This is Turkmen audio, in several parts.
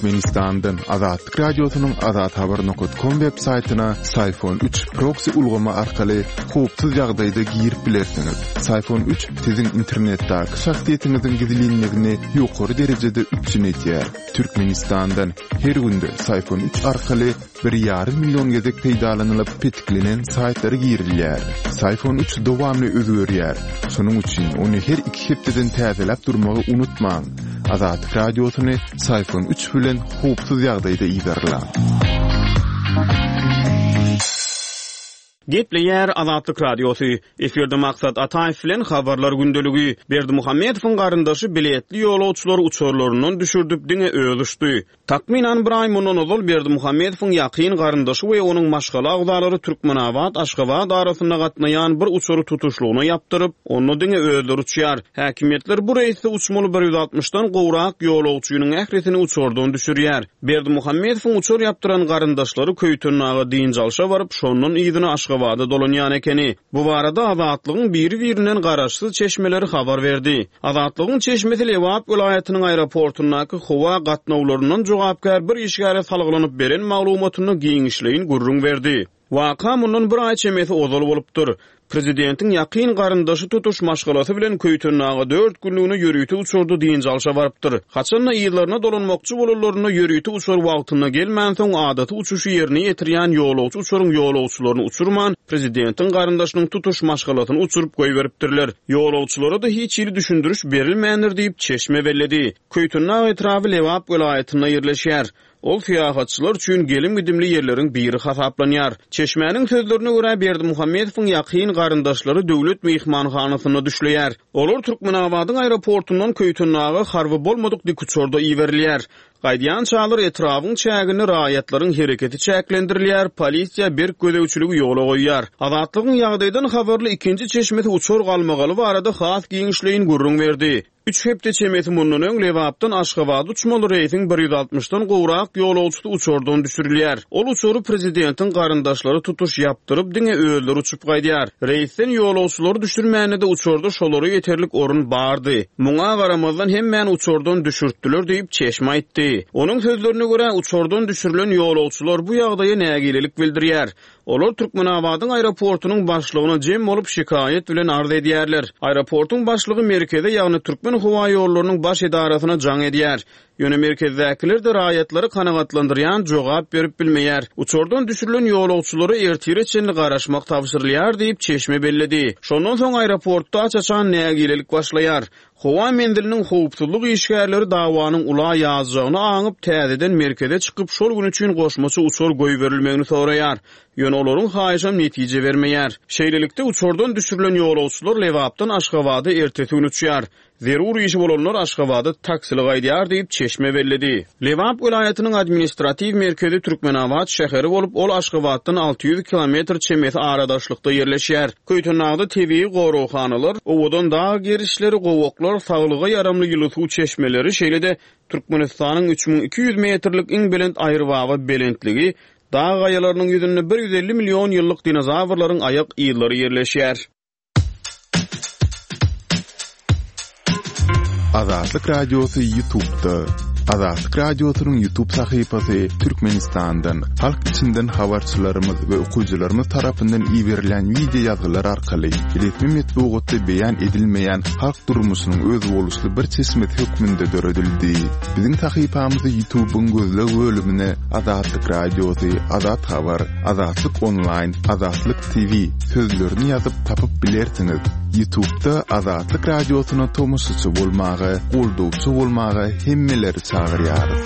Türkmenistandan Azatlyk Radiosynyň azathabar nokat kom web saýtyna Syfon üç proksi ulgamy arkaly howpsuz ýagdaýda girip bilersiňiz. Syfon üç siziň internetdäki şahsyýetiňiziň gizlinligini ýokary derejede üpjün edýär. Türkmenistandan her günde Syfon üç arkaly bir ýarym million gezek peýdalanylyp petiklenen saýtlara girilýär. Syfon üç dowamly özgerýär. Şonuň üçin ony her iki hepdeden täzeläp durmagy unutmaň. Azatlyk Radiosyny Syfon üç bilen howpsuz ýagdaýda yzarlaň. Gepleýär Azatlyk Radiosy. Efirde Maksat Ataýew bilen Habarlar gündeligi. Berdimuhamedowyň garyndaşy biletli ýolagçylary uçarlaryndan düşürdip, diňe özi uçdy. Takmynan bir aý mundan ozal Berdimuhamedowyň ýakyn garyndaşy we onuň maşgala agzalary Türkmenabat-Aşgabat arasynda gatnaýan bir uçary tutuşlygyna ýapdyryp, onda diňe özleri uçýar. Häkimiýetler bu reýsde uçmaly 160-dan gowrak ýolagçynyň ählisini uçardan düşürýär. Berdimuhamedowyň uçar ýapdyran garyndaşlary Köýtendaga dynç alşa baryp, şondan yzyna Aşgabada dolanýan ekeni. Bu barada Azatlygyň biri-birinden garaşsyz çeşmeleri habar berdi. Azatlygyň çeşmesi Lebap welaýatynyň aeroportundaky howa gatnawlaryndan jogapkär bir işgäre salgylanyp beren maglumatynda giňişleýin gürrüň berdi. Waka mundan bir aý çemesi ozal bolupdyr. Prezidentiň ýakyn garyndaşy tutuş maşgalasy bilen Köýtendaga dört günlügine ýörite uçarda dynç alşa barypdyr. Haçan-da yzlaryna dolanmakçy bolanlarynda ýörite uçar wagtynda gelmänsoň, adaty uçuşy ýerine ýetirýän ýolagçy uçaryň ýolagçylaryny uçurman, prezidentiň garyndaşynyň tutuş maşgalasyny uçuryp goýberipdirler. Ýolagçylara-da hiç hili düşündiriş berilmändir diýip, çeşme belledi. Köýtendag etraby Lebap welaýatynda ýerleşýär. Ol syýahatçylar üçin gelim-gidimli ýerleriň biri hasaplanýar. Çeşmäniň sözlerine görä, Berdimuhamedowyň ýakyn garyndaşlary döwlet myhmanhanasynda düşleýär. Olar Türkmenabadyň aeroportundan Köýtendaga harby bolmadyk dikuçarda iberilýär. Gaýdýançalar etrabyň çäginde raýatlaryň hereketi çäklendirilýär, polisiýa berk gözegçiligi ýola goýýar. Azatlygyň ýagdaýdan habarly ikinji çeşmesi uçar galmagaly barada has giňişleýin gürrüň berdi. Üç hepde çemesi mundan öň Lebapdan Aşgabada uçmaly reýsiň 160-dan gowrak ýolagçysy uçardan düşürilýär. Ol uçary prezidentiň garyndaşlary tutuş ýapdyryp, diňe özleri uçup gaýdýar. Reýsden ýolagçylary düşürmände-de uçarda şolara ýeterlik orun bardy. Muňa garamazdan hemmäni uçardan düşürtdiler diýip, çeşme aýtdy. Onuň sözlerine görä, uçardan düşürilen ýolagçylar bu ýagdaýa nägilelik bildirýär. Olar Türkmenabadyň aeroportunyň başlygyna jem bolup şikaýat bilen arz edýärler. Aeroportuň başlygy merkeze, ýagny Türkmenhowaýollarynyň baş edarasyna jaň edýär. Ýöne merkezdäkiler-de raýatlary kanagatlandyrýan jogap berip bilmeýär. Uçardan düşürilen ýolagçylara ertire çenli garaşmak tabşyrylýar diýip, çeşme belledi. Şondan soň aeroportda aç-açan nägilelik başlaýar. Howa menziliniň howpsuzlyk işgärleri dawanyň ula ýazjagyny aňyp, täzeden merkeze çykyp, şol gün üçin goşmaça uçar goýberilmegini soraýar. Ýöne olaryň haýyşam netije bermeýär. Şeýlelikde, uçardan düşürilen ýolagçylar Lebapdan Aşgabada ertesi gün uçýar. Zerur işi bolanlar Aşgabada taksili gaýdýar diýip, çeşme belledi. Lebap welaýatynyň administratiw merkezi Türkmenabat şäheri bolup, ol Aşgabatdan 600 kilometr çemesi aradaşlykda ýerleşýär. Köýtendagda tebigy goraghanalar, owadan dag gerişleri, gowaklar, saglyga ýaramly ýyly suw çeşmeleri, şeýle-de Türkmenistanyň 3200 metrlik iň belent Aýrybaba belentligi, dag gaýalarynyň ýüzünde 150 million ýyllyk dinozawrlaryň aýak yzlary ýerleşýär. Azatlyk Radiosy Ýutubda. Azatlyk Radiosynyň Ýutub sahypasy Türkmenistandan, halk içinden habarçylarymyz we okyjylarymyz tarapyndan iberilýän wideo ýazgylar arkaly resmi metbugatda beýan edilmeýän halk durmuşynyň özboluşly bir çeşmesi hökmünde döredildi. Biziň sahypamyzy Ýutubyň gözleg bölümine Azatlyk Radiosy, Azat Habar, Azatlyk Onlaýn, Azatlyk TV sözlerini ýazyp tapyp bilersiňiz. Ýutubda Azatlyk Radiosyna tomaşaçy bolmaga, goldawçy bolmaga hemmeleri çagyrýarys.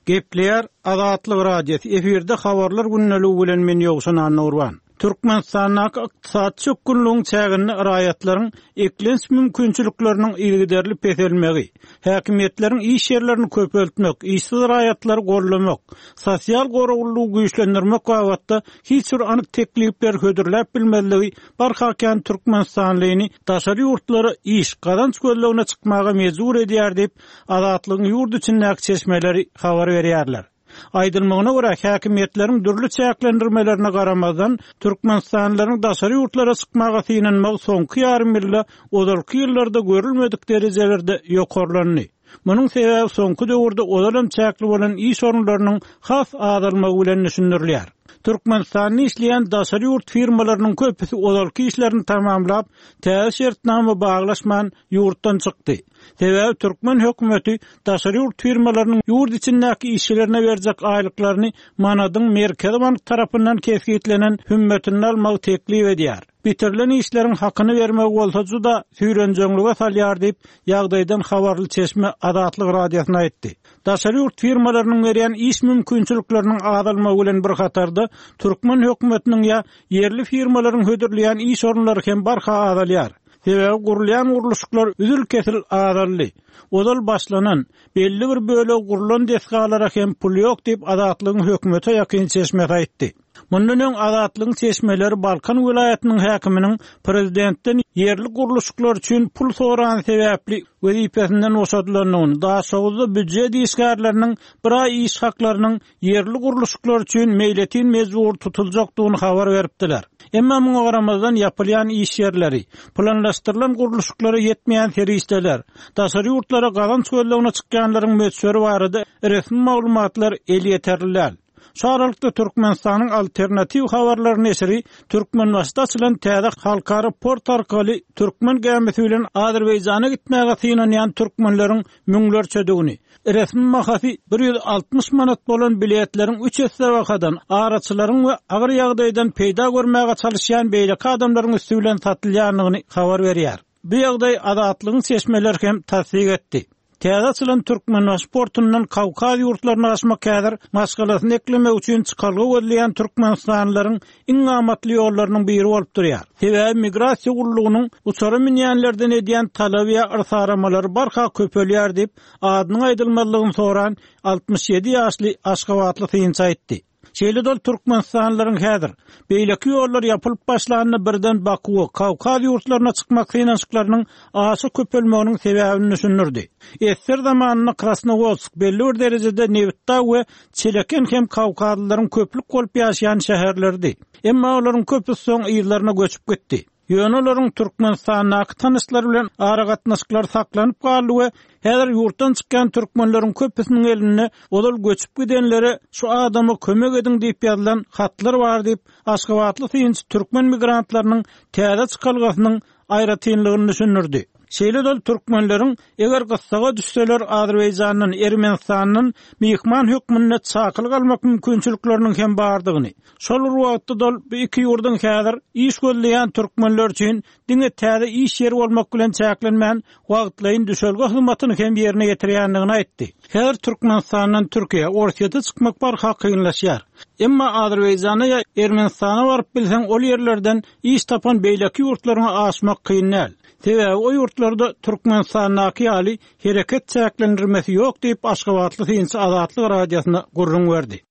Gepleýär Azatlyk Radiosy, efirde Habarlar gündeligi bilen men Ýowşan Annagurban. Türkmenistandaky ykdysady çökgünligiň çäginde raýatlaryň eklenç mümkinçilikleriniň yzygiderli peselmegi, häkimiýetleriň iş ýerlerini köpeltmek, işsiz raýatlary goldamak, sosial goraglylygy güýçlendirmek babatda hiç bir anyk teklipleri hödürläp bilmezligi barha kän türkmenistanlyny daşary ýurtlara iş, gazanç gözlegine çykmaga mejbur edýär diýip, Azatlygyň ýurt içindäki çeşmeleri habar berýärler. Aýdylmagyna görä, häkimiýetleriň dürli çäklendirmelerine garamazdan, türkmenistanlylaryň daşary ýurtlara çykmaga synanmagy soňky ýarym ýylda ozalky ýyllarda görülmedik derejelerde ýokarlandy. Munuň sebäbi soňky döwürde ozalam çäkli bolan iş orunlarynyň has azalmagy bilen düşündirilýär. Türkmenistanda işleýän daşary ýurt firmalarynyň köpüsi ozalky işlerini tamamlap, täze şertnama baglaşman, ýurtdan çykdy. Sebäbi türkmen hökümeti daşary ýurt firmalarynyň ýurt içindäki işçilerine berjek aýlyklaryny manadyň Merkezi bank tarapyndan kesgitlenen hümmetinde almagy teklip edýär. Bitirilen işleriň hakyny bermegi bolsa juda süýrenjeňlige salýar diýip, ýagdaýdan habarly çeşme Azatlyk Radiosyna aýtdy. Daşary ýurt firmalarynyň berýän iş mümkinçilikleriniň azalmagy bilen bir hatarda, türkmen hökümetiniň ýa ýerli firmalaryň hödürleýän iş orunlary hem barha azalýar. Sebäbi gurulýan gurluşyklar üzül-kesil azaldy. Ozal başlanan, belli bir bölegi gurlan desgalara hem pul ýok diýip, Azatlygyň hökümete ýakyn çeşmesi aýtdy. Mundan öň Azatlygyň çeşmeleri Balkan welaýatynyň häkiminiň prezidentden ýerli gurluşyklar üçin pul sorany sebäpli wezipesinden boşadylandygyny, Daşoguzda býujet işgärleriniň bir aý iş haklarynyň ýerli gurluşyklar üçin meýletin mejbur tutuljakdygyny habar beripdiler. Emma muňa garamazdan ýapylýan iş ýerleri, planlaşdyrylan gurluşyklara ýetmeýän serişdeler, daşary ýurtlara gazanç gözlegine çykýanlaryň möçberi barada resmi maglumatlar elýeterli däl. Şu aralykda Türkmenistanyň Alternatiw habarlary neşiri Türkmenbaşyda açylan täze halkara port arkaly türkmen gämisi bilen Azerbaýjana gitmäge synanýan türkmenleriň müňlerçedigini, resmi bahasy 160 manat bolan biletleriň üç esse bahadan, araçylaryň we agyr ýagdaýdan peýda görmäge çalyşýan beýleki adamlaryň üsti bilen satylýandygyny habar berýär. Bu ýagdaý Azatlygyň çeşmeleri hem tassyk etdi. Täze açylan Türkmenbaşy portundan Kawkaz ýurtlaryna aşmak häzir maşgalasyny eklemek üçin çykalga gözleýän türkmenistanlylaryň iň amatly ýollarynyň biri bolup durýar. Sebäbi migrasiýa gullugynyň uçara münýänlerden edýän talaby ýa yrsaramalary barha köpelýär diýip, adynyň aýdylmazlygyny soran 67 ýaşly aşgabatly synçy aýtdy. Şeýle-de ol türkmenistanlylaryň häzir, beýleki ýollar ýapylyp başlanda birden Bakuwa, Kawkaz ýurtlaryna çykmak synanyşyklarynyň aşa köpelmeginiň sebäbini düşündirdi. Ssr zamanynda Krasnowodsk belli bir derejede Nebitdag we Çeleken hem kawkazlylaryň köplük bolup ýaşaýan şäherleridi. Emma olaryň köpüsi soň yzlaryna göçüp gitdi. Ýöne olaryň Türkmenistandaky tanyşlary bilen aragatnaşyklary saklanyp galdy we häzir ýurtdan çykýan türkmenleriň köpüsiniň elinde ozal göçüp gidenlere şu adama kömek ediň diýip ýazylan hatlar bar diýip, aşgabatly synçy türkmen migrantlarynyň täze çykalgasynyň aýratynlygyny düşündirdi. Şeýle-de ol türkmenleriň eger gyssaga düşseler Azerbaýjandan, Ermenistandan myhman hökmünde çakylyk almak mümkinçilikleriniň hem bardygyny, şol bir wagtda-da ol bu iki ýurduň häzir iş gözleýän türkmenler üçin diňe täze iş ýeri bolmak bilen çäklenmän, wagtlaýyn düşelge hyzmatyny hem ýerine ýetirýändigini aýtdy. Häzir Türkmenistandan Türkiýä, Orsýete çykmak barha kynlaşýar. Emma Azerbaýjana ýa Ermenistana baryp bilseň ol ýerlerden iş tapan beýleki ýurtlaryňa aşmak kyn däl. Sebäbi o ýurtlarda Türkmenistandaky ýaly hereket çäklendirmesi ýok diýip, aşgabatly synçy Azatlyk Radiosyna gürrüň berdi.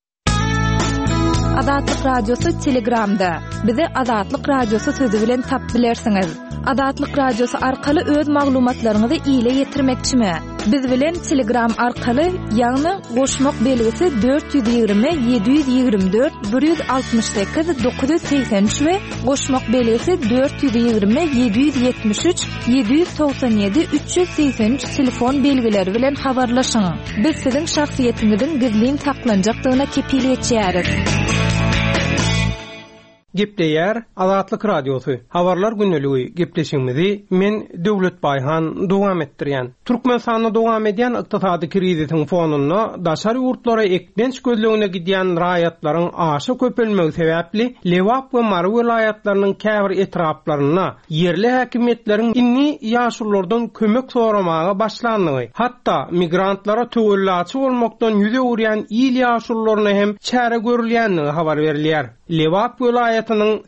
Azatlyk Radiosy Telegramda. Bizi Azatlyk Radiosy sözi bilen tap bilersiňiz. Azatlyk Radiosy arkaly öz maglumatlaryňyzy ile ýetirmekçimi? Biz bilen Telegram arkaly, ýagny goşmak belgisi 420 724 168 983 we goşmak belgisi 420 773 797 383 telefon belgileri bilen habarlaşyň. Biz siziň şahsyýetiňiziň gizlin saklanjakdygyna kepil geçýäris. Gepleýär Azatlyk Radiosy, Habarlar gündeligi gepleşigimizi men Döwlet Baýhan dowam etdirýän. Türkmenistanda dowam edýän ykdysady krizisiň fonunda daşary ýurtlara eklenç gözlegine gidýän raýatlaryň aşa köpelmegi sebäpli Lebap we Mary welaýatlarynyň käbir etraplarynda ýerli häkimiýetleriň indi ýaşululardan kömek soramaga başlandygy, hatda migrantlara töwellaçy bolmakdan ýüz öwürýän il ýaşulularyna hem çäre görülýändigi habar berilýär. Lebap welaýatynyň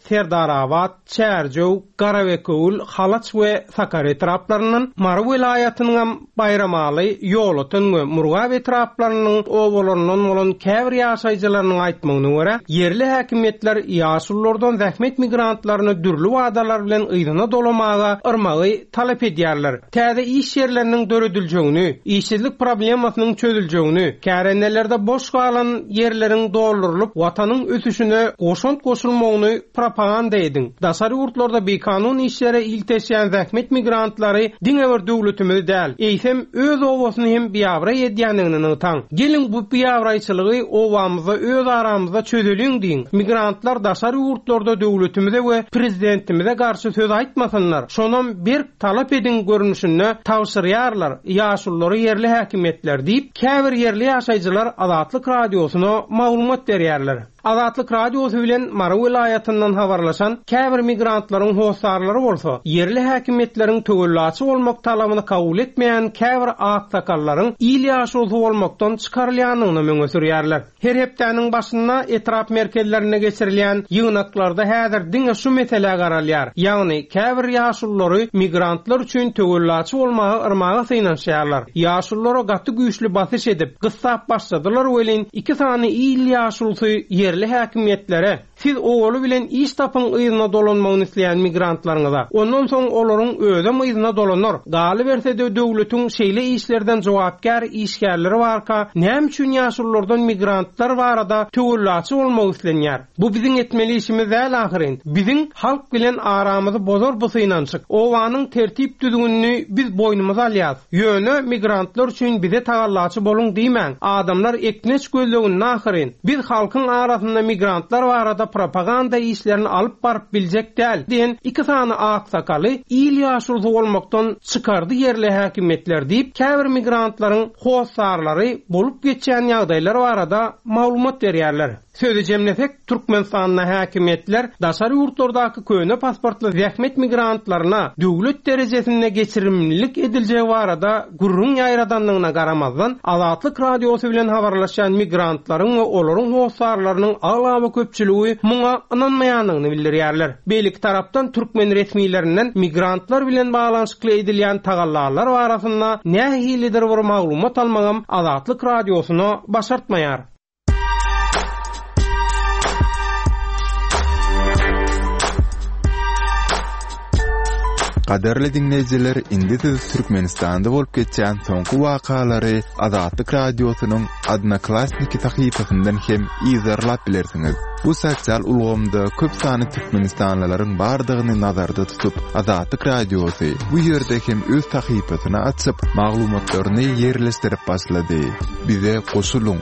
Serdarabat, Çärjew, Garabekewül, Halaç we Sakar etraplaryndan, Mary welaýatynyňam Baýramaly, Ýolöten we Murgap etraplarynyň obalaryndan bolan käbir ýaşaýjylarynyň aýtmagyna görä, ýerli häkimiýetler ýaşululardan zähmet migrantlaryny dürli wadalar bilen yzyna dolamaga yrmagy talap edýärler. Täze iş ýerleriniň dörediljegini, işsizlik problemasynyň çözüljegini, kärendelerde boş galan ýerleriň doldurylyp, Watanyň ösüşine goşant goşulmagyny. Şony propaganda ediň. Daşary ýurtlarda bikanun işlere ilteşýän zähmet migrantlary diňe bir döwletimizi däl, eýsem, öz obasyny hem biabraý edýändigini nygtaň. Geliň bu biabraýçylygy obamyzda öz aramyzda çözeliň diýiň. Migrantlar daşary ýurtlarda döwletimize we prezidentimize garşy söz aýtmasynlar, şonam berk talap ediň görnüşinde tabşyrýarlar ýaşululary ýerli häkimiýetler diýip, käbir ýerli ýaşaýjylar Azatlyk Radiosyna maglumat berýärler. Azatlyk Radiosy bilen Mary welaýatyndan habarlaşan käbir migrantlaryň hossarlary bolsa, ýerli häkimiýetleriň töwellaçy bolmak talabyny kabul etmeýän käbir aksakallaryň il ýaşulusy bolmakdan çykarylýandygyny öňe sürýärler. Her hepdäniň başynda etrap merkezlerinde geçirilýän ýygnaklarda häzir diňe şu meselä garalýar, ýagny käbir ýaşululary migrantlar üçin töwellaçy bolmaga yrmaga synanyşýarlar. Ýaşululara gaty güýçli basyş edip, gyssap başladylar welin, iki sany il ýaşulusy ýerli häkimiýetlere, Siz owaly bilen iş tapyň yzyna dolanmagyny isleýän migrantlaryňyza. Ondan soň olaryň özem yzyna dolanar. Galyberse-de döwletiň şeýle işlerden jogapkär işgärleri barka, näme üçin ýaşululardan migrantlar barada töwellaçy bolmak islenýär? Bu biziň etmeli işimiz däl ahyryn. Biziň halk bilen aramyzy bozar bu synanyşyk. Obanyň tertip-düzgünini biz boýnumyza alýas. Ýöne migrantlar üçin bize tagallaçy boluň diýmäň. Adamlar eklenç gözleginde ahyryn. Biz halkyň arasynda migrantlar barada propaganda işlerini alyp baryp biljek däl diýen iki sany aksakaly il ýaşulusy bolmakdan çykardy ýerli häkimiýetler diýip, käbir migrantlaryň hossarlary bolup geçýän ýagdaýlar barada maglumat berýärler. Sözi jemlesek, Türkmenistanda häkimiýetler daşary ýurtlardaky köne pasportly zähmet migrantlaryna döwlet derejesinde geçirimlilik ediljegi barada gürrüň ýaýradandygyna garamazdan, Azatlyk Radiosy bilen habarlaşýan migrantlaryň we olaryň hossarlarynyň aglaba köpçüligi muňa ynanmaýandygyny bildirýärler. Beýleki tarapdan, türkmen resmilerinden migrantlar bilen baglanyşykly edilýän tagallalar barasynda nähilidir bir maglumat almagam Azatlyk Radiosyna başartmaýar. Gadyrly diňleýjiler, indi siz Türkmenistanda bolup geçýän soňky wakalary Azatlyk Radiosynyň Odnoklassniki sahypasyndan hem yzarlap bilersiňiz. Bu sosial ulgamda köp sanly türkmenistanlylaryň bardygyny nazarda tutup, Azatlyk Radiosy bu ýerde hem öz sahypasyny açyp, maglumatlaryny ýerleşdirip başlady. Bize goşulyň!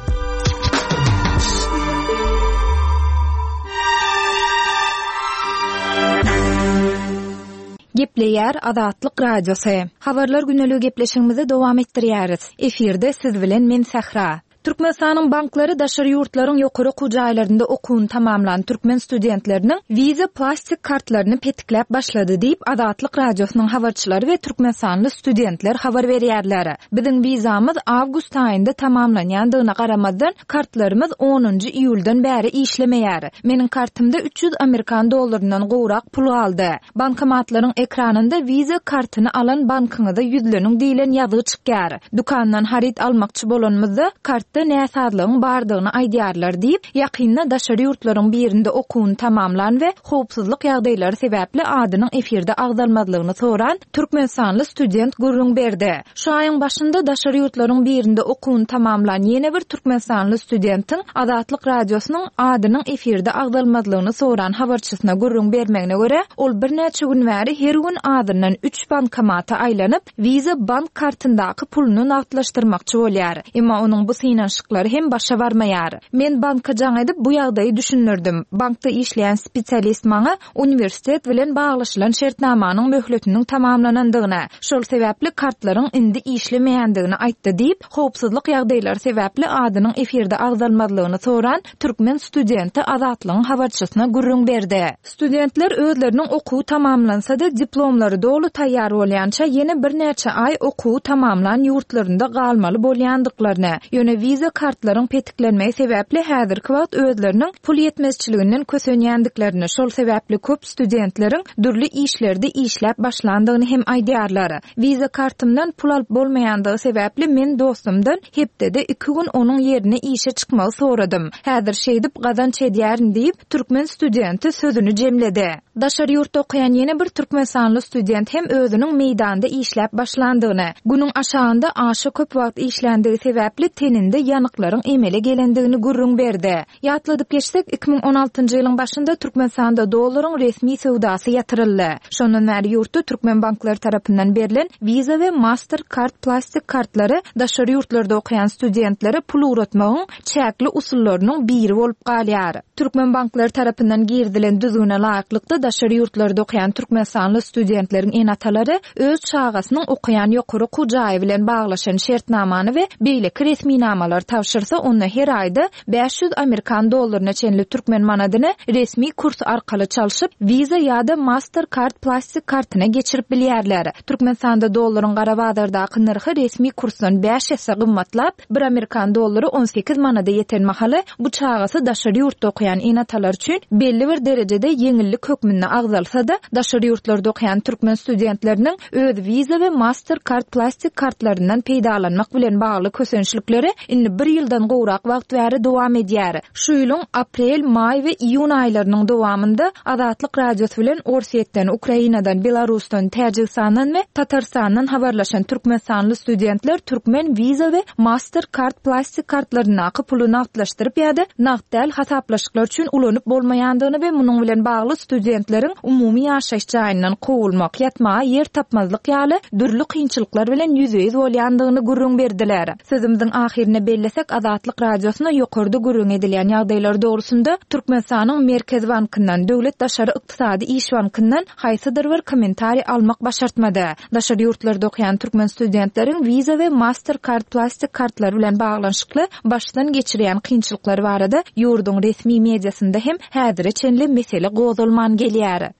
Gepleýär Azatlyk Radiosy. Habarlar güneligi gepleşigimizi dowam etdirýäris. Efirde siz bilen men Sähra. Türkmenistanyň banklary daşary ýurtlaryň ýokary okuw jaýlarynda okuwyny tamamlan türkmen studentleriniň Visa plastik kartlaryny petikläp başlady diýip, Azatlyk Radiosynyň habarçylary we türkmenistanly studentler habar berýärler. Biziň wizamyz awgust aýynda tamamlanýandygyna garamazdan, kartlarymyz onunjy iýuldan bäri işlemeýär. Meniň kartymda 300 amerikan dollaryndan gowrak pul galdy. Bankomatlaryň ekranynda Visa kartyny alan bankyňyza ýüzleniň diýlen ýazgy çykýar. Dükandan haryt almakçy bolanymyzda, kartda näsazlygyň bardygyny aýdýarlar diýip, ýakynda daşary ýurtlaryň birinde okuwyny tamamlan we howpsuzlyk ýagdaýlary sebäpli adynyň efirde agzalmazlygyny soran türkmenistanly student gürrüň berdi. Şu aýyň başynda daşary ýurtlaryň birinde okuwyny tamamlan ýene bir türkmenistanly studentiň Azatlyk Radiosynyň adynyň efirde agzalmazlygyny soran habarçysyna gürrüň bermegine görä, ol birnäçe gün bäri her gün azyndan üç bankomata aýlanyp, Visa bank kartyndaky puluny nagtlaşdyrmakçy bolýar. Emma onuň bu synanyşyklary hem başa barmaýar. Men banka jaň edip, bu ýagdaýy düşündirdim. Bankda işleýän spesialist maňa uniwersitet bilen baglaşylan şertnamanyň möhletiniň tamamlanandygyny, şol sebäpli kartlaryň indi işlemeýändigini aýtdy diýip, howpsuzlyk ýagdaýlary sebäpli adynyň efirde agzalmazlygyny soran türkmen studenti Azatlygyň habarçysyna gürrüň berdi. Studentler özleriniň okuwy tamamlansa-da, diplomlary doly taýýar bolýança ýene birnäçe aý okuwy tamamlan ýurtlarynda galmaly bolýandyklaryny, ýöne wiza kartlaryň petiklenmegi sebäpli häzirki wagt özleriniň pul ýetmezçiliginden kösenýändiklerini, şol sebäpli köp studentleriň dürli işlerde işläp başlandygyny hem aýdýarlar. Wiza kartymdan pul alyp bolmaýandygy sebäpli men dostumdan hepdede iki gün onuň ýerine işe çykmagy soradym. Häzir şeýdip gazanç edýärin diýip, türkmen studenti sözüni jemledi. Daşary ýurtda okaýan ýene bir türkmenistanly student hem özüniň meýdanda işläp başlandygyny, günüň aşagynda aşa köp wagt işländigi sebäpli teninde. bedeninde ýanyklaryň emele gelendigini gürrüň berdi. Ýatladyp geçsek, 2016-njy ýylyň başynda Türkmenistanda dollaryň resmi söwdasy ýatyryldy. Şondan bäri ýurtda türkmen banklary tarapyndan berlen Visa we Master Card plastik kartlary daşary ýurtlarda okaýan studentlere pul ugratmagyň çäkli usullarynyň biri bolup galýar. Türkmen banklary tarapyndan girizilen düzgüne laýyklykda, daşary ýurtlarda okaýan türkmenistanly studentleriň ene-atalary öz çagasynyň okaýan ýokary okuw jaýy bilen baglaşan şertnamany we beýleki resminamalary tabşyrsa, onda her aýda 500 amerikan dollaryna çenli türkmen manadyny resmi kurs arkaly çalşyp, Visa ýa-da Mastercard plastik kartyna geçirip bilýärler. Türkmenistanda dollaryň gara bazardaky nyrhy resmi kursdan bäş esse gymmatlap, Bir amerikan dollary 18 manada ýeten mahaly, bu çagasy daşary ýurtda okaýan ene-atalar üçin belli bir derejede ýeňillik hökmünde agzalsa-da, daşary ýurtlarda okaýan türkmen studentleriniň öz Visa we Mastercard plastik kartlaryndan peýdalanmak bilen bagly kösençlikleri indi bir ýyldan gowrak wagt bäri dowam edýär. Şu ýylyň aprel, maý we iýun aýlarynyň dowamynda Azatlyk Radiosy bilen Orsýetden, Ukrainadan, Belarusdan, Täjigistandan we Tatarystandan habarlaşan türkmenistanly studentler türkmen Visa we Master Card plastik kartlaryndaky puly nagtlaşdyryp ýa-da nagt däl hasaplaşyklar üçin ulanyp bolmaýandygyny we munuň bilen bagly studentleriň umumy ýaşaýyş jaýyndan kowulmak, ýatmaga ýer tapmazlyk ýaly dürli kynçylyklar bilen ýüzbe-ýüz bolýandygyny gürrüň berdiler. Sözümiziň ahyrynda bellesek, Azatlyk Radiosyna ýokarda gürrüňi edilýän ýagdaýlar dogrusynda Türkmenistanyň Merkezi bankyndan, Döwlet daşary ykdysady iş bankyndan haýsydyr bir kommentariý almak başartmady. Daşary ýurtlarda okaýan türkmen studentleriň Visa we Mastercard plastik kartlary bilen baglanyşykly başdan geçirýän kynçylyklary barada ýurduň resmi mediasynda hem häzire çenli mesele gozgalman gelýär.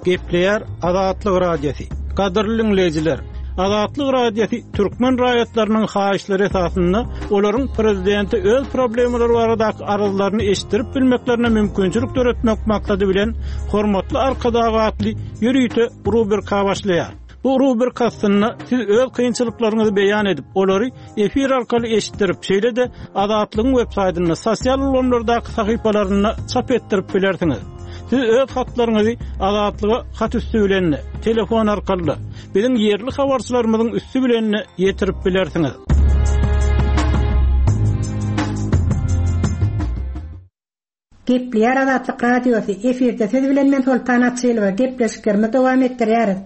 Gepleýär Azatlyk Radiosy. Gadyrly diňleýjiler, Azatlyk Radiosy türkmen raýatlarynyň haýyşlary esasynda olaryň prezidente öz problemalary baradaky arzlaryny eşitdirip bilmeklerine mümkinçilik döretmek maksady bilen Hormatly Arkadag atly ýörite rubrika başlaýar. Bu rubrika astynda siz öz kynçylyklaryňyzy beýan edip, olary efir arkaly eşitdirip, şeýle-de Azatlygyň websaýtynda, sosial ulgamlardaky sahypalarynda çap etdirip bilersiňiz. Siz öz hatlaryňyzy Azatlyga hat üsti bilen-de, telefon arkaly-da, biziň ýerli habarçylarymyzyň üsti bilen-de ýetirip bilersiňiz. Gepleýär Azatlyk Radiosy, efirde siz bilen men Soltan Açylowa, gepleşiklerimizi dowam etdirýäris.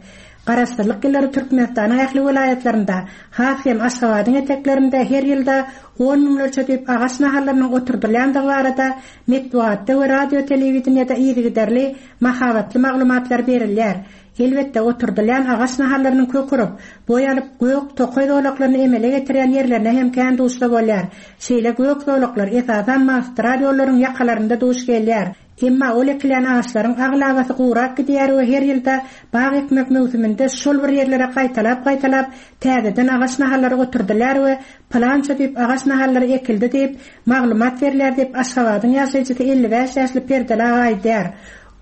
Garaşsyzlyk ýyllary Türkmenistanyň ähli welaýatlarynda, has hem Aşgabadyň eteklerinde her ýylda on müňlerçe düýp agaç nahallarynyň oturdylýandygy barada metbugatda we radio-telewideniýede yzygiderli mahabatly maglumatlar berilýär. Elbetde, oturdylýan agaç nahallarynyň kök urup, boý alyp, gök tokaý zolaklaryny emele getirýän ýerlerine hem kän duşsa bolýar. Şeýle gök zolaklar, esasan, magistral ýollaryň ýakalarynda duş gelýär. Emma ol ekilýän agaçlaryň aglabasy gurap gidýär we her ýylda bag ekmek möwsüminde şol bir ýerlere gaýtalap-gaýtalap täzeden agaç nahallary oturdylýar we pylança düýp agaç nahallary ekildi diýip, maglumat berilýär diýip, Aşgabadyň ýaşaýjysy 55 ýaşly Perdeli aga aýdýar.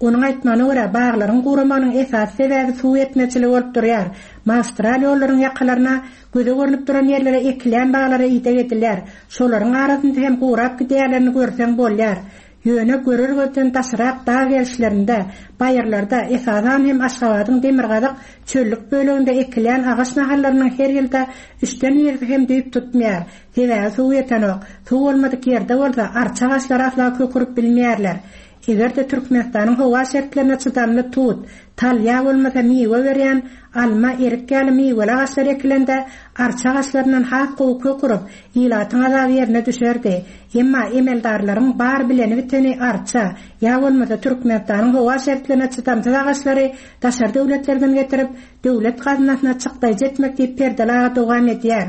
Onuň aýtmagyna görä, baglaryň guramagynyň esasy sebäbi suw ýetmezçiligi bolup durýar. Magistral ýollaryň ýakalaryna, göze görnüp duran ýerlere ekilýän baglara ideg edilýär. Şolaryň arasynda hem gurap gidýänlerini görseň bolýar. Ýöne görer gözden daşrak dag gerişlerinde, baýyrlarda, esasan hem Aşgabadyň demirgazyk çöllük böleginde ekilýän agaç nahallarynyň her ýylda üçden birisi hem düýp tutmaýar. Sebäbi suw ýetenok. Suw bolmadyk ýerde bolsa arça agaçlary asla kök urup bilmeýärler. Eger-de Türkmenistanyň howa şertlerine çydamly tut, tal ýa bolmasa miwe berýän alma, erik ýaly miweli agaçlar ekilende, arça agaçlaryndan has gowy kök urup, ilatyň azaby ýerine düşerdi. Emma emeldarlaryň bar bileni-biteni arça, ýa bolmasa Türkmenistanyň howa şertlerine çydamsyz agaçlary daşary döwletlerden getirip, döwlet gaznasyna çykdaýjy etmek diýip Perdeli aga dowam edýär.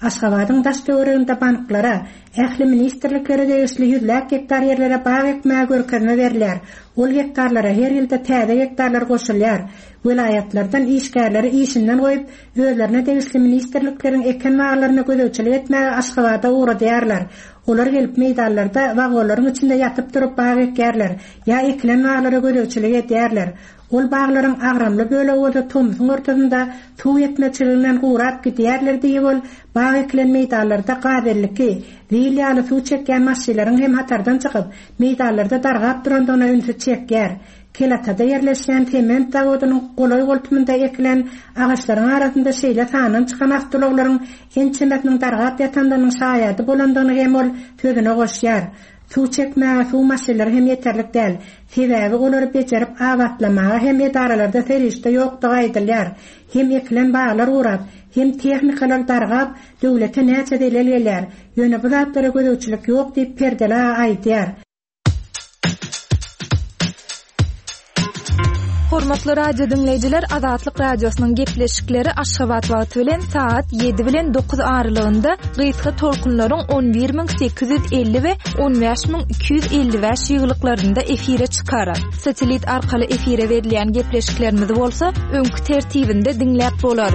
Aşgabadyň daş-töwereginde banklara, ähli ministrliklere degişli ýüzläp gektar ýerlere bag ekmäge görkezme berilýär. Ol gektarlara her ýylda täze gektarlar goşulýar. Welaýatlardan işgärleri işinden goýup, özlerine degişli ministrlikleriň eken baglaryna gözegçilik etmäge Aşgabada ugradýarlar. Olar gelip meýdanlarda wagonlaryň içinde ýatyp-turup bag ekýärler ýa ekilen baglara gözegçilik edýärler. Ol baglaryň agramly bölegi bolsa tomsuň ortasynda suw ýetmezçiliginden gurap gidýärler diýip ol bag ekilen meýdanlarda gaz 52, zil ýaly suw çekýän maşynlaryň hem hatardan çykyp, meýdanlarda dargap durandygyna ünsi çekýär. Kelatada ýerleşýän sement zawodynyň golaý-goltumynda ekilen agaçlaryň arasynda şeýle sandan çykan awtoulaglaryň ençemesiniň dargap ýatandygynyň şaýady bolandygyny hem ol sözüne goşýar. Suw çekmäge suw maşynlary hem ýeterlik däl. Sebäbi olary bejerip abatlamaga hem edaralarda serişde ýokdugy aýdylýar. Hem ekilen baglar gurap, hem tehnikalar dargap, döwlete näçe zelel gelýär. Ýöne bu zatlara gözegçilik ýok diýip, Perdeli aga aýdýar. Hormatly radio diňleýjiler, Azatlyk Radiosynyň gepleşikleri Aşgabat wagty bilen sagat 7 bilen 9 aralygynda gysga tolkunlaryň 11850 we 15255 ýygylyklarynda efire çykar. Satellit arkaly efire berilýän gepleşiklerimizi bolsa öňki tertibinde diňläp bolar.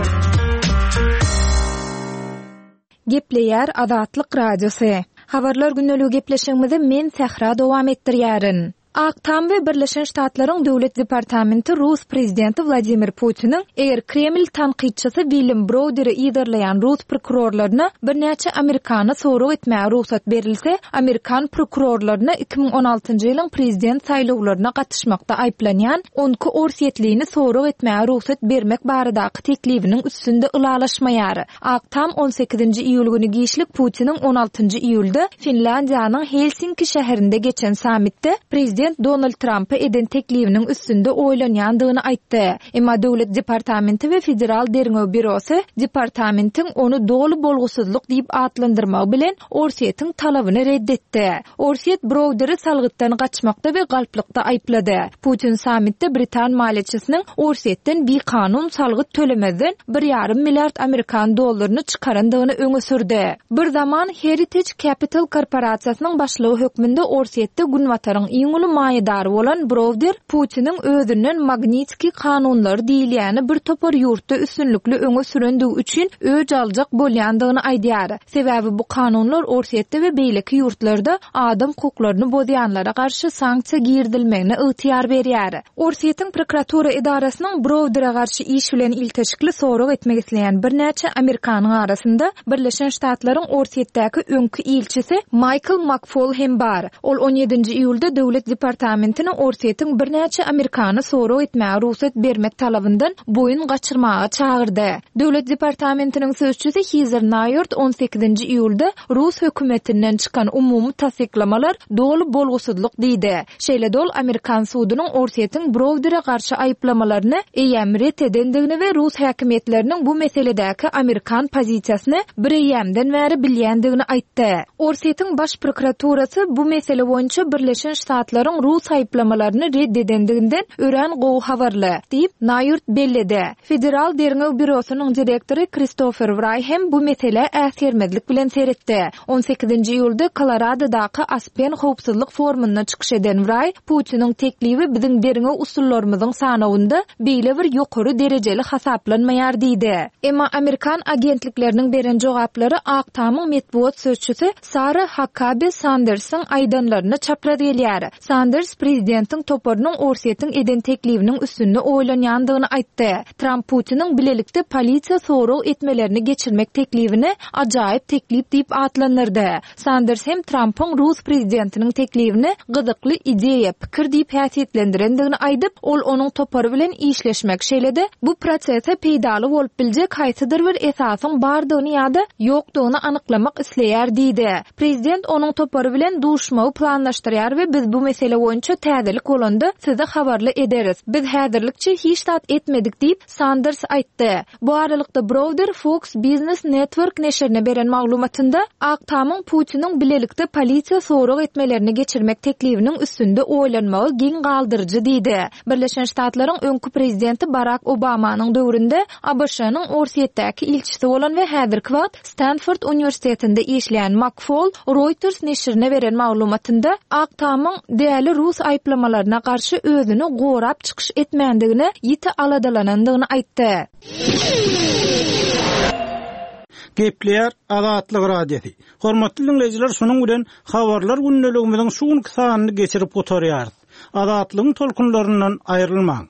Gepleýär Azatlyk Radiosy. Habarlar gündeligi gepleşigimizi men Sähra dowam etdirýärin. Ak Tam we Birleşen Ştatlaryň Döwlet departamenti rus prezidenti Wladimir Putiniň eger Kreml tankytçysy William Browderi yzarlaýan rus prokurorlaryna birnäçe amerikany sorag etmäge rugsat berilse, amerikan prokurorlaryna 2016-njy ýylyň prezident saýlawlaryna gatyşmakda aýyplanýan on iki orsýetlini sorag etmäge rugsat bermek baradaky teklibiniň üstünde ylalaşmaýar. Ak Tam on sekizinji iýul güni giçlik Putiniň on altynjy iýulda Finlýandiýanyň Helsinki şäherinde geçen sammitde prezident Donald Trampa eden teklibiniň üstünde oýlanýandygyny aýtdy. Emma Döwlet departamenti we Federal derňew býurosy departamentiň ony doly bolgusyzlyk diýip atlandyrmagy bilen Orsýetiň talabyny ret etdi. Orsýet Browderi salgytdan gaçmakda we galplykda aýyplady. Putin sammitde britan maliýeçisiniň Orsýetden bikanun salgyt tölemezden bir ýarym milliard amerikan dollaryny çykarandygyny öňe sürdi. Bir zaman Heritage Capital korporasiýasynyň başlygy hökmünde Orsýetde Günbataryň iň uly maýadary bolan Browder Putiniň özünden Magnitskiý kanunlary diýilýäni bir topar ýurtda üstünlikli öňe sürendigi üçin öç aljak bolýandygyny aýdýar. Sebäbi bu kanunlar Orsýetde we beýleki ýurtlarda adam hukuklaryny bozýanlara garşy sanksiýa girizilmegine ygtyýar berýär. Orsýetiň prokuratura edarasynyň Browdere garşy iş bilen ilteşikli sorag etmek isleýän birnäçe amerikanyň arasynda Birleşen Ştatlaryň Orsýetdäki öňki ilçisi Maýkl Makfol hem bar. Ol on ýedinji iýulda Döwlet departamentine Orsýetiň birnäçe amerikany sorag etmäge rugsat bermek talabyndan boýun gaçyrmaga çagyrdy. Döwlet departamentiniň sözçüsi Hizer Naýort on sekizinji iýulda rus hökümetinden çykan umumy tassyklamalar doly bolgusyzlyk diýdi. Şeýle-de ol amerikan sudunyň Orsýetiň Browdere garşy aýyplamalaryny eýýäm ret edendigini we rus häkimiýetleriniň bu meseledäki amerikan pozisiýasyny bireýýämden bäri bilýändigini aýtdy. Orsýetiň Baş prokuraturasy bu mesele boýunça Birleşen Ştatlaryň rus aýyplamalaryny ret edendiginden örän gowy habarly, diýip, Naýort belledi. Federal derňew býurosynyň direktory Kristofer Wraý hem bu meselä äsgermezlik bilen seretdi. On sekizinji iýulda Koloradodaky Aspen howpsuzlyk forumynda çykyş eden Wraý, Putiniň teklibi biziň derňew usullarymyzyň sanawynda beýle bir ýokary derejeli hasaplanmaýar diýdi. Emma amerikan agentlikleriniň beren jogaplary Ak Tamyň metbugat sözçüsi Sara Hakkabi Sandersiň aýdanlaryna çapraz gelýär. Sanders prezidentiň toparynyň Orsýetiň eden teklibiniň üstünde oýlanýandygyny aýtdy. Tramp Putiniň bilelikde polisiýa sorag etmelerini geçirmek teklibini ajaýyp teklip diýip atlandyrdy. Sanders hem Trampyň rus prezidentiniň teklibini gyzykly ideýa, pikir diýip häsiýetlendirendigini aýdyp, ol onuň topary bilen işleşmek, şeýle-de bu prosese peýdaly bolup biljek haýsydyr bir esasyň bardygyny ýa-da ýokdugyny anyklamak isleýär diýdi. Prezident onuň topary bilen duşmagy planlaşdyrýar we biz bu mesele boýunça täzelik bolanda sizi habarly ederis. Biz häzirlikçe hiç zat etmedik diýip, Sanders aýtdy. Bu aralykda Browder Fox Business Network neşirine beren maglumatynda, Ak Tamyň Putiniň bilelikde polisiýa sorag etmelerini geçirmek teklibiniň üstünde oýlanmagy geň galdyryjy diýdi. Birleşen Ştatlaryň öňki prezidenti Barak Obamanyň döwründe ABŞ-nyň Orsýetdäki ilçisi bolan we häzirki wagt Stanford uniwersitetinde işleýän Makfol Reuters neşirine beren maglumatynda, Ak Tamyň däli rus aýyplamalaryna garşy özüni gorap çykyş etmändigine ýiti aladalanandygyny aýtdy. Gepleýär Azatlyk Radiosy. Hormatly diňleýjiler şunuň bilen Habarlar gündeligimiziň şu günki sanyny geçirip gutarýarys. Azatlygyň tolkunlaryndan aýrylmaň.